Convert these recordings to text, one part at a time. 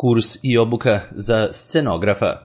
Kurs i obuka za scenografa.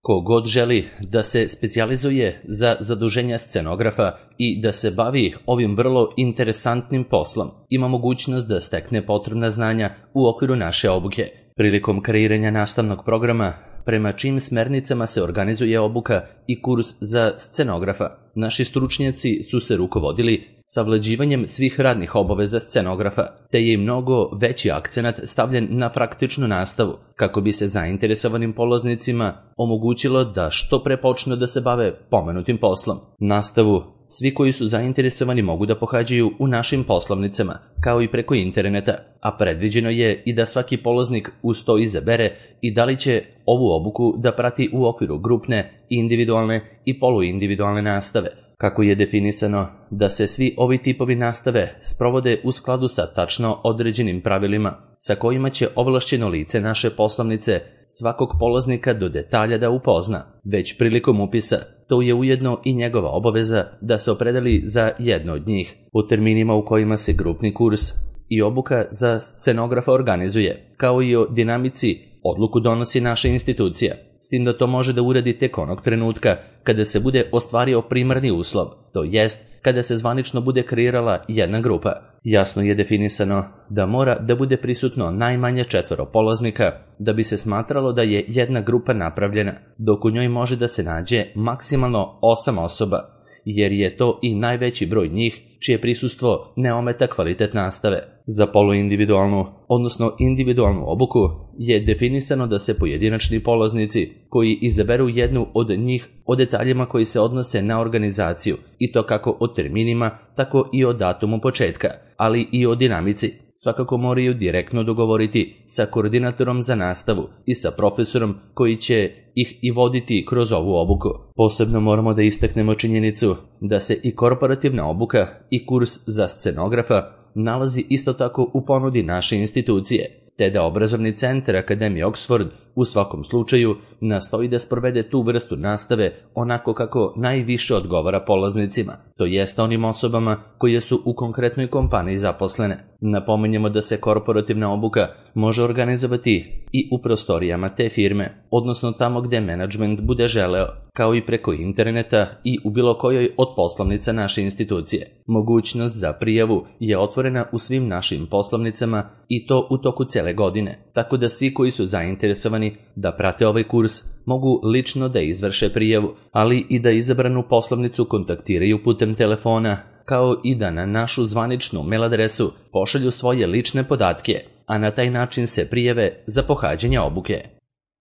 Ko god želi da se specijalizuje za zaduženja scenografa i da se bavi ovim vrlo interesantnim poslom, ima mogućnost da stekne potrebna znanja u okviru naše obuke. Prilikom kreiranja nastavnog programa, prema čijim smernicama se organizuje obuka i kurs za scenografa, naši stručnjaci su se rukovodili savlađivanjem svih radnih obaveza scenografa, te je i mnogo veći akcenat stavljen na praktičnu nastavu, kako bi se zainteresovanim polaznicima omogućilo da što pre počnu da se bave pomenutim poslom. Nastavu svi koji su zainteresovani mogu da pohađaju u našim poslovnicama, kao i preko interneta, a predviđeno je i da svaki polaznik uz to izabere i da li će ovu obuku da prati u okviru grupne, individualne i poluindividualne nastave. Kako je definisano da se svi ovi tipovi nastave sprovode u skladu sa tačno određenim pravilima, sa kojima će ovlašćeno lice naše poslovnice svakog polaznika do detalja da upozna. Već prilikom upisa, to je ujedno i njegova obaveza da se opredeli za jedno od njih. U terminima u kojima se grupni kurs i obuka za scenografa organizuje, kao i o dinamici, odluku donosi naša institucija, s tim da to može da uradi tek onog trenutka kada se bude ostvario primarni uslov, to jest kada se zvanično bude kreirala jedna grupa. Jasno je definisano da mora da bude prisutno najmanje 4 polaznika da bi se smatralo da je jedna grupa napravljena, dok u njoj može da se nađe maksimalno 8 osoba, jer je to i najveći broj njih čije prisustvo ne ometa kvalitet nastave. Za poluindividualnu, odnosno individualnu obuku je definisano da se pojedinačni polaznici koji izaberu jednu od njih o detaljima koji se odnose na organizaciju, i to kako o terminima, tako i o datumu početka, ali i o dinamici, svakako moraju direktno dogovoriti sa koordinatorom za nastavu i sa profesorom koji će ih i voditi kroz ovu obuku. Posebno moramo da istaknemo činjenicu da se i korporativna obuka i kurs za scenografa nalazi isto tako u ponudi naše institucije, te da obrazovni centar Akademije Oxford u svakom slučaju nastoji da sprovede tu vrstu nastave onako kako najviše odgovara polaznicima, to jest onim osobama koje su u konkretnoj kompaniji zaposlene. Napominjemo da se korporativna obuka može organizovati i u prostorijama te firme, odnosno tamo gde menadžment bude želeo, kao i preko interneta i u bilo kojoj od poslovnica naše institucije. Mogućnost za prijavu je otvorena u svim našim poslovnicama i to u toku cele godine, tako da svi koji su zainteresovani da prate ovaj kurs mogu lično da izvrše prijavu, ali i da izabranu poslovnicu kontaktiraju putem telefona, kao i da na našu zvaničnu mail adresu pošalju svoje lične podatke, a na taj način se prijave za pohađanje obuke.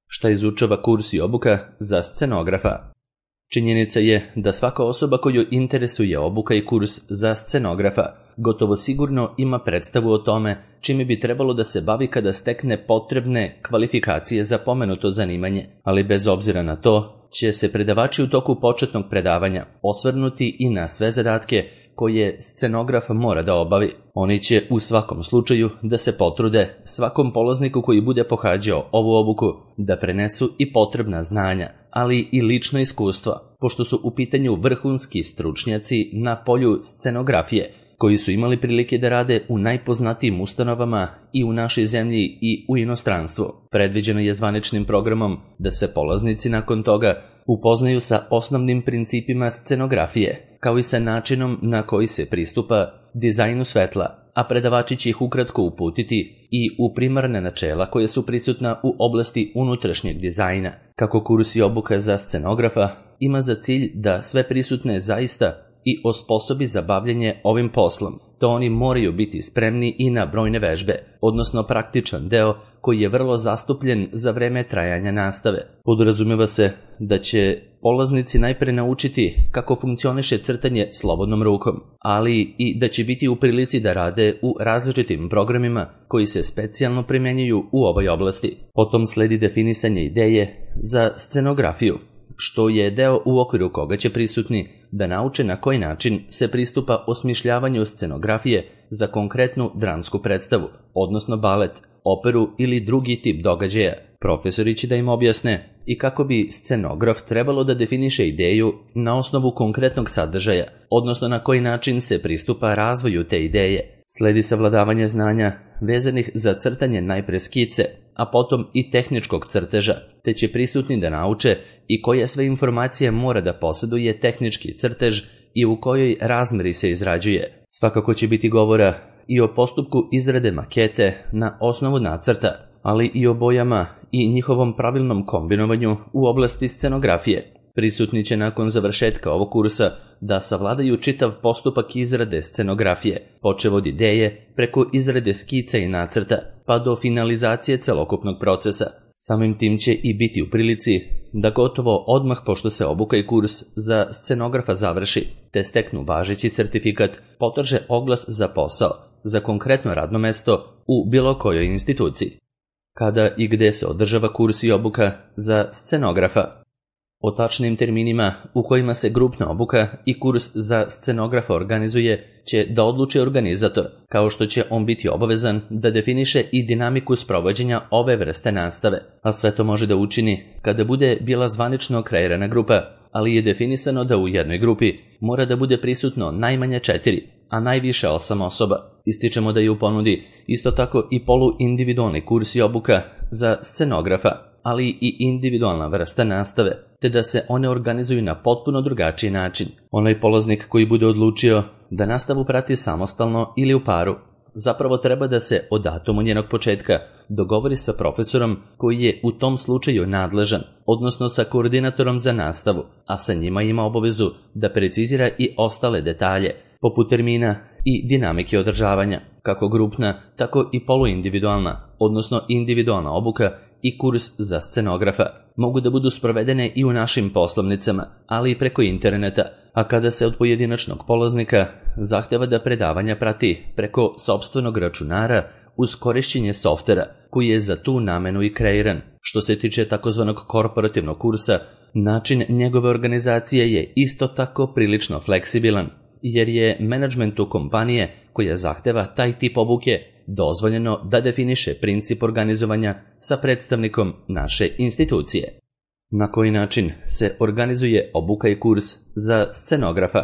Šta izučava kurs i obuka za scenografa? Činjenica je da svaka osoba koju interesuje obuka i kurs za scenografa gotovo sigurno ima predstavu o tome čime bi trebalo da se bavi kada stekne potrebne kvalifikacije za pomenuto zanimanje, ali bez obzira na to će se predavači u toku početnog predavanja osvrnuti i na sve zadatke koje scenograf mora da obavi. Oni će u svakom slučaju da se potrude svakom polazniku koji bude pohađao ovu obuku da prenesu i potrebna znanja, ali i lično iskustvo, pošto su u pitanju vrhunski stručnjaci na polju scenografije, koji su imali prilike da rade u najpoznatijim ustanovama i u našoj zemlji i u inostranstvu. Predviđeno je zvaničnim programom da se polaznici nakon toga upoznaju sa osnovnim principima scenografije, kao i sa načinom na koji se pristupa dizajnu svetla, a predavači će ih ukratko uputiti i u primarne načela koje su prisutna u oblasti unutrašnjeg dizajna. Kako kurs i obuka za scenografa ima za cilj da sve prisutne zaista i osposobi za bavljanje ovim poslom, to oni moraju biti spremni i na brojne vežbe, odnosno praktičan deo koji je vrlo zastupljen za vreme trajanja nastave. Podrazumeva se da će polaznici najpre naučiti kako funkcioniše crtanje slobodnom rukom, ali i da će biti u prilici da rade u različitim programima koji se specijalno primenjuju u ovoj oblasti. Potom sledi definisanje ideje za scenografiju, što je deo u okviru koga će prisutni da nauče na koji način se pristupa osmišljavanju scenografije za konkretnu dramsku predstavu, odnosno balet, operu ili drugi tip događaja. Profesori će da im objasne i kako bi scenograf trebalo da definiše ideju na osnovu konkretnog sadržaja, odnosno na koji način se pristupa razvoju te ideje. Sledi savladavanje znanja vezanih za crtanje najpre skice, a potom i tehničkog crteža, te će prisutni da nauče i koje sve informacije mora da posjeduje tehnički crtež i u kojoj razmeri se izrađuje. Svakako će biti govora i o postupku izrade makete na osnovu nacrta, ali i o bojama i njihovom pravilnom kombinovanju u oblasti scenografije. Prisutni će nakon završetka ovog kursa da savladaju čitav postupak izrade scenografije, počev od ideje, preko izrade skica i nacrta, pa do finalizacije celokupnog procesa. Samim tim će i biti u prilici da gotovo odmah pošto se obuka i kurs za scenografa završi, te steknu važeći sertifikat, potraže oglas za posao, za konkretno radno mesto u bilo kojoj instituciji. Kada i gde se održava kurs i obuka za scenografa? O tačnim terminima u kojima se grupna obuka i kurs za scenografa organizuje će da odluči organizator, kao što će on biti obavezan da definiše i dinamiku sprovođenja ove vrste nastave, a sve to može da učini kada bude bila zvanično kreirana grupa, ali je definisano da u jednoj grupi mora da bude prisutno najmanje 4, a najviše 8 osoba. Ističemo da je u ponudi isto tako i poluindividualni kurs i obuka za scenografa, ali i individualna vrsta nastave, te da se one organizuju na potpuno drugačiji način. Onaj polaznik koji bude odlučio da nastavu prati samostalno ili u paru, zapravo treba da se o datumu njenog početka dogovori sa profesorom koji je u tom slučaju nadležan, odnosno sa koordinatorom za nastavu, a sa njima ima obavezu da precizira i ostale detalje, poput termina i dinamike održavanja, kako grupna, tako i poluindividualna, odnosno individualna obuka i kurs za scenografa mogu da budu sprovedene i u našim poslovnicama, ali i preko interneta, a kada se od pojedinačnog polaznika zahteva da predavanja prati preko sopstvenog računara uz korišćenje softvera koji je za tu namenu i kreiran. Što se tiče takozvanog korporativnog kursa, način njegove organizacije je isto tako prilično fleksibilan, jer je menadžmentu kompanije koja zahteva taj tip obuke dozvoljeno da definiše princip organizovanja sa predstavnikom naše institucije. Na koji način se organizuje obuka i kurs za scenografa?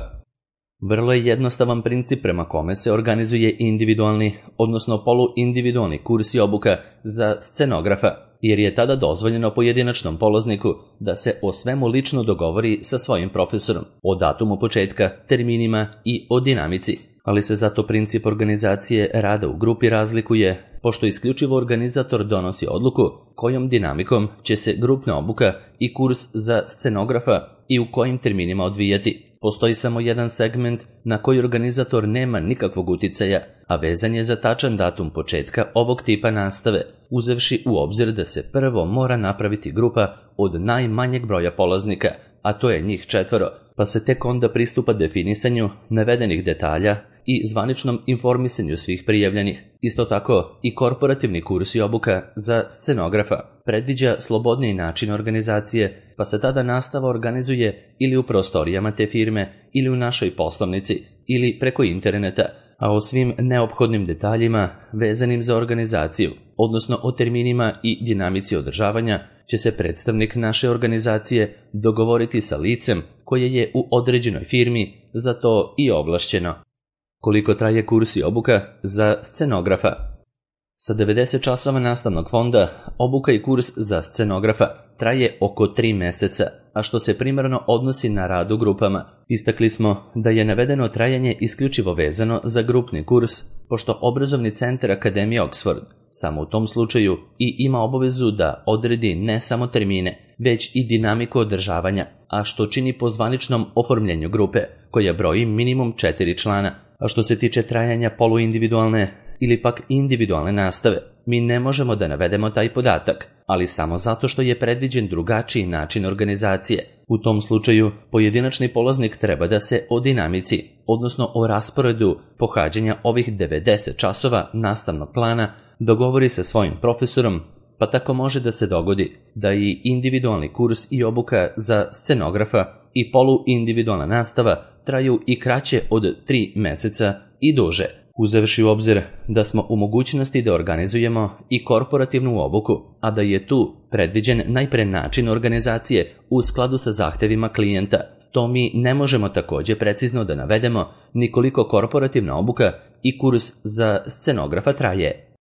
Vrlo je jednostavan princip prema kome se organizuje individualni, odnosno poluindividualni kurs i obuka za scenografa, jer je tada dozvoljeno pojedinačnom polazniku da se o svemu lično dogovori sa svojim profesorom, o datumu početka, terminima i o dinamici. Ali se zato princip organizacije rada u grupi razlikuje, pošto isključivo organizator donosi odluku kojom dinamikom će se grupna obuka i kurs za scenografa i u kojim terminima odvijati. Postoji samo jedan segment na koji organizator nema nikakvog uticaja, a vezan je za tačan datum početka ovog tipa nastave, uzevši u obzir da se prvo mora napraviti grupa od najmanjeg broja polaznika, a to je njih 4, pa se tek onda pristupa definisanju navedenih detalja i zvaničnom informisanju svih prijavljenih. Isto tako i korporativni kurs i obuka za scenografa predviđa slobodniji način organizacije, pa se tada nastava organizuje ili u prostorijama te firme, ili u našoj poslovnici, ili preko interneta, a o svim neophodnim detaljima vezanim za organizaciju, odnosno o terminima i dinamici održavanja, će se predstavnik naše organizacije dogovoriti sa licem koje je u određenoj firmi za to i ovlašćeno. Koliko traje kurs i obuka za scenografa? Sa 90 časova nastavnog fonda, obuka i kurs za scenografa traje oko 3 meseca, a što se primarno odnosi na rad u grupama. Istakli smo da je navedeno trajanje isključivo vezano za grupni kurs, pošto obrazovni centar Akademije Oxford samo u tom slučaju i ima obavezu da odredi ne samo termine, već i dinamiku održavanja, a što čini po zvaničnom oformljenju grupe, koja broji minimum 4 člana. A što se tiče trajanja poluindividualne ili pak individualne nastave, mi ne možemo da navedemo taj podatak, ali samo zato što je predviđen drugačiji način organizacije. U tom slučaju, pojedinačni polaznik treba da se o dinamici, odnosno o rasporedu pohađanja ovih 90 časova nastavnog plana dogovori sa svojim profesorom, pa tako može da se dogodi da i individualni kurs i obuka za scenografa i poluindividualna nastava traju i kraće od 3 meseca i duže, uzevši u obzir da smo u mogućnosti da organizujemo i korporativnu obuku, a da je tu predviđen najpre način organizacije u skladu sa zahtevima klijenta. To mi ne možemo takođe precizno da navedemo ni koliko korporativna obuka i kurs za scenografa traje.